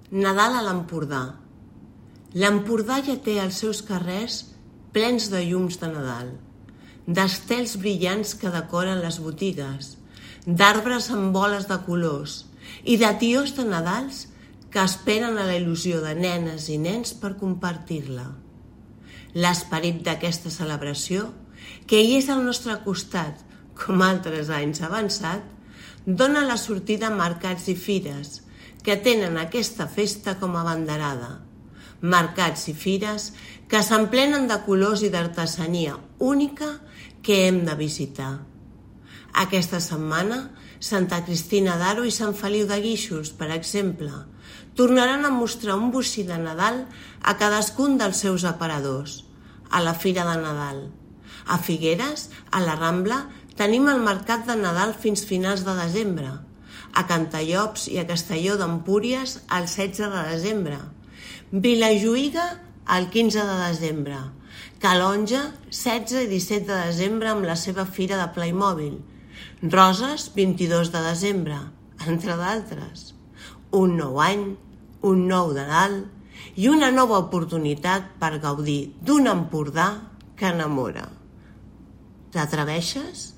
Nadal a l'Empordà. L'Empordà ja té els seus carrers plens de llums de Nadal, d'estels brillants que decoren les botigues, d'arbres amb boles de colors i de tios de Nadals que esperen a la il·lusió de nenes i nens per compartir-la. L'esperit d'aquesta celebració, que hi és al nostre costat, com altres anys avançat, dona la sortida a mercats i fires que tenen aquesta festa com a abanderada. Mercats i fires que s'emplenen de colors i d'artesania única que hem de visitar. Aquesta setmana, Santa Cristina d'Aro i Sant Feliu de Guíxols, per exemple, tornaran a mostrar un bocí de Nadal a cadascun dels seus aparadors, a la Fira de Nadal. A Figueres, a la Rambla, tenim el Mercat de Nadal fins finals de desembre, a Cantallops i a Castelló d'Empúries el 16 de desembre, Vilajuïga el 15 de desembre, Calonge 16 i 17 de desembre amb la seva fira de Playmobil, Roses 22 de desembre, entre d'altres. Un nou any, un nou Nadal i una nova oportunitat per gaudir d'un Empordà que enamora. T'atreveixes?